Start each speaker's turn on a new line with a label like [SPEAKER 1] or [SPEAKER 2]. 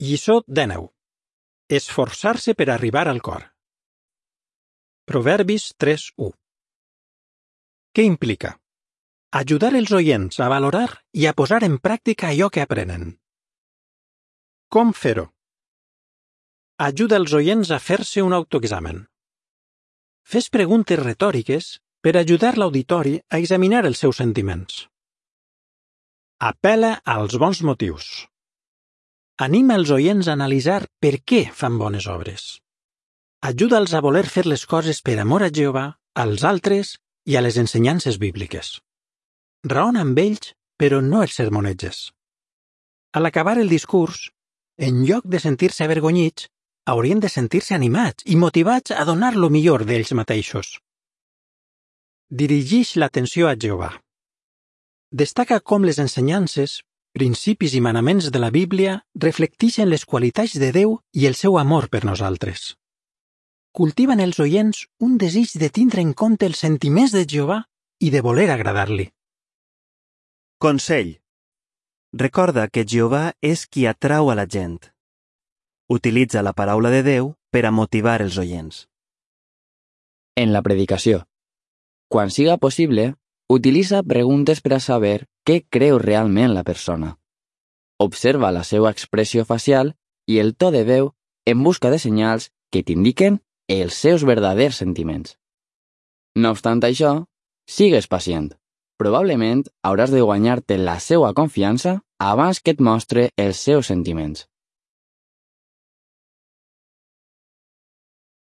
[SPEAKER 1] Lliçó 19. Esforçar-se per arribar al cor. Proverbis 3:1. Què implica? Ajudar els oients a valorar i a posar en pràctica allò que aprenen. Com fer-ho? Ajuda els oients a fer-se un autoexamen. Fes preguntes retòriques per ajudar l'auditori a examinar els seus sentiments. Apel·la als bons motius. Anima els oients a analitzar per què fan bones obres. Ajuda'ls a voler fer les coses per amor a Jehovà, als altres i a les ensenyances bíbliques. Raona amb ells, però no els sermoneges. A l'acabar el discurs, en lloc de sentir-se avergonyits, haurien de sentir-se animats i motivats a donar lo millor d'ells mateixos. Dirigeix l'atenció a Jehovà. Destaca com les ensenyances, principis i manaments de la Bíblia reflecteixen les qualitats de Déu i el seu amor per nosaltres. Cultiven els oients un desig de tindre en compte els sentiments de Jehovà i de voler agradar-li.
[SPEAKER 2] Consell. Recorda que Jehovà és qui atrau a la gent. Utilitza la paraula de Déu per a motivar els oients.
[SPEAKER 3] En la predicació. Quan siga possible, utilitza preguntes per a saber què creu realment la persona. Observa la seva expressió facial i el to de veu en busca de senyals que t'indiquen els seus verdaders sentiments. No obstant això, sigues pacient. Probablement hauràs de guanyar-te la seva confiança abans que et mostre els seus sentiments.